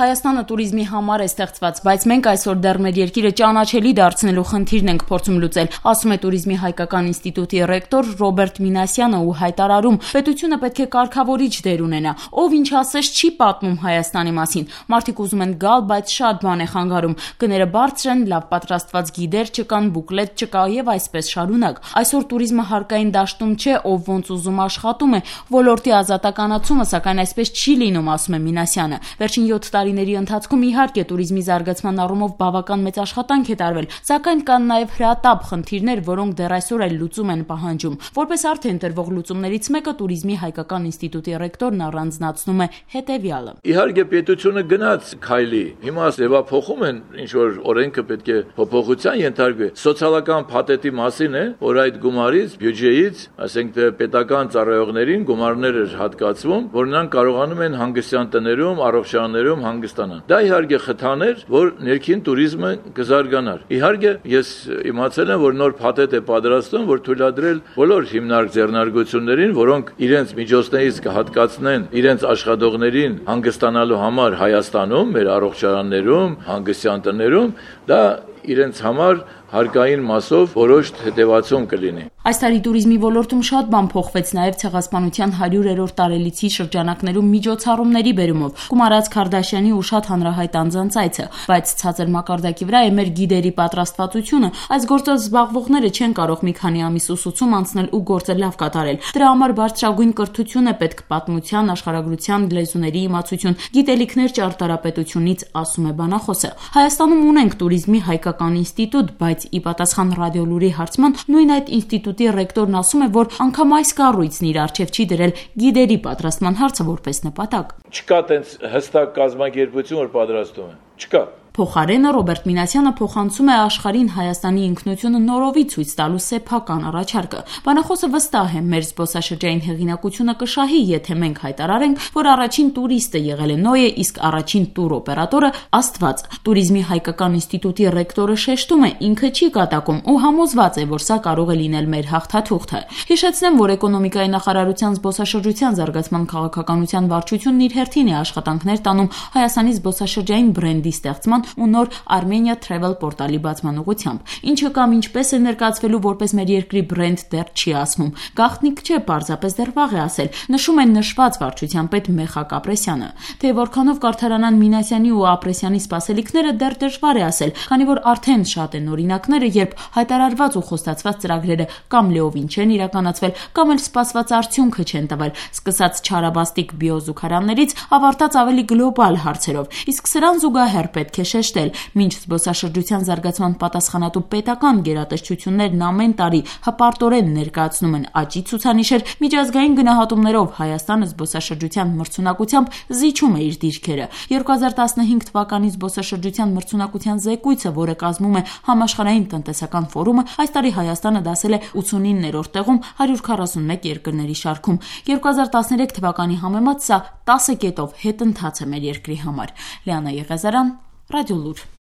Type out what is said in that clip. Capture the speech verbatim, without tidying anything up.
Հայաստանը տուրիզմի համար է ստեղծված, բայց մենք այսօր դեռ մեր երկիրը ճանաչելի դարձնելու խնդիրն ենք փորձում լուծել, ասում է Տուրիզմի հայկական ինստիտուտի ռեկտոր Ռոբերտ Մինասյանը ու հայտարարում. պետությունը պետք է կարգավորիչ դեր ունենա, ով ինչ ասես չի պատմում Հայաստանի մասին, մարդիկ ուզում են գալ, բայց շատ բան է խանգարում, գները բարձր են, լավ պատրաստված գիդեր չկան, բուկլետ չկա եւ այսպես շարունակ։ Այսօր տուրիզմը հարկային դաշտում չէ, ով ոնց ուզում աշխատում է, ոլորտի ազատականացումը սակայն այսպես չի լինում, ասում է Մինասյանը։ Վերջին յոթ տարիների ընթացքում իհարկե տուրիզմի զարգացման առումով բավական մեծ աշխատանք է տարվել, սակայն կան նաև հրատապ խնդիրներ, որոնք դեռ այսօր էլ լուծում են պահանջում։ Որպես արդեն տրվող լուծումներից մեկը Տուրիզմի հայկական ինստիտուտի ռեկտորն առանձնացնում է հետևյալը. Իհարկե պետությունը գնաց քայլի, հիմա ձևափոխում են, ինչ որ օրենքը պետք է փոփոխության ենթարկվի։ Սոցիալական փաթեթի մասին է, որ այդ գումարից, բյուջեից, ասենք թե պետական ծառայողներին գումարներ էր հատկացվում, որ նրանք կարողանում են հանգստյան տներում, առողջարաններում հանգստանան։ Դա իհարկե խթան էր, որ ներքին տուրիզմը կզարգանար։ Իհարկե ես իմացել եմ, որ նոր փաթեթ է պատրաստում, որ թույլատրել բոլոր հիմնարկ ձեռնարկություններին, որոնք իրենց միջոցներից կհատկացնեն իրենց աշխատողներին հանգստանալու համար Հայաստանում, մեր առողջարաններում, հանգստյան տներում, դա իրենց համար հարկային մասով որոշ հետևացում կլինի։ Այս տարի տուրիզմի ոլորտում շատ բան փոխվեց նաև ցեղասպանության հարյուրերորդ տարելիցի շրջանակներում միջոցառումների բերումով, Կումարած Քարդաշյանի ու շատ հանրահայտ անձանց այցը, բայց ցածր մակարդակի վրա է մեր գիդերի պատրաստվածությունը, այս գործով զբաղվողները չեն կարող մի քանի ամիս ուսուցում անցնել ու գործը լավ կատարել։ Դրա համար բարձրագույն կրթություն է պետք, պատմության, աշխարհագրության, լեզուների իմացություն, գիտելիքներ ճարտարապետությունից, ասում է բանախոսը։ Հայաստանում ունենք Տուրիզմի հայկական ինստիտուտ, բայց ի պատասխան Ռադիոլուրի հարցման նույն այդ ինստիտուտի ռեկտորն ասում է, որ անգամ այս կառույցն իր առջև չի դրել գիդերի պատրաստման հարցը որպես նպատակ։ Չկա տենց հստակ կազմակերպություն, որ պատրաստում է։ Չկա։ Փոխարենը Ռոբերտ Մինասյանը փոխանցում է աշխարհին Հայաստանի ինքնությունը նորովի ցույց տալու սեփական առաջարկը։ Բանախոսը վստահ է, մեր զբոսաշրջային հեղինակությունը կշահի, եթե մենք հայտարարենք, որ առաջին տուրիստը եղել է Նոյը, իսկ առաջին տուրօպերատորը Աստված։ Տուրիզմի հայկական ինստիտուտի ռեկտորը շեշտում է, ինքը չի կատակում ու համոզված է, որ սա կարող է լինել մեր հաղթաթուղթը։ Հիշեցնեմ, որ էկոնոմիկայի նախարարության զբոսաշրջության զարգացման քաղաքականության վարչությունն իր հերթին է աշխատանքներ տանում Հայաստանի զբոսաշրջային բրենդի ստեղծման ու նոր Armenia Travel պորտալի բացման ուղղությամբ։ Ինչը կամ ինչպես է ներկայացվելու որպես մեր երկրի բրենդ դեռ չի ասվում։ Գաղտնիք չէ, պարզապես դեռ վաղ է ասել, նշում են նշված վարչության պետ Մեխակ Ապրեսյանը։ Թե որքանով կարդարանան Մինասյանի ու Ապրեսյանի սպասելիքները դեռ դժվար է ասել, քանի որ արդեն շատ են օրինակները, երբ հայտարարված ու խոստացված ծրագրերը կամ լիովին չեն իրականացվել, կամ էլ սպասված արդյունքը չեն տվել, սկսած չարաբաստիկ բիոզուգարաններից, ավարտած ավելի գլոբալ հարցերով։ Իսկ սրան զուգահեռ պետք է շեշտել, մինչ զբոսաշրջության զարգացման պատասխանատու պետական գերատեսչություններն ամեն տարի հպարտորեն ներկայացնում են աճի ցուցանիշեր, միջազգային գնահատումներով Հայաստանը զբոսաշրջության մրցունակությամբ զիջում է իր դիրքերը։ երկու հազար տասնհինգ թվականի զբոսաշրջության մրցունակության զեկույցը, որը կազմում է համաշխարհային տնտեսական ֆորումը, այս տարի Հայաստանը դասել է ութսունիններորդ տեղում հարյուր քառասունմեկ երկրների շարքում։ երկու հազար տասներեք թվականի համեմատ սա տասը կետով հետընթաց է մեր երկրի համար։ Լիանա Եղիազարյան, Ռադիոլուր։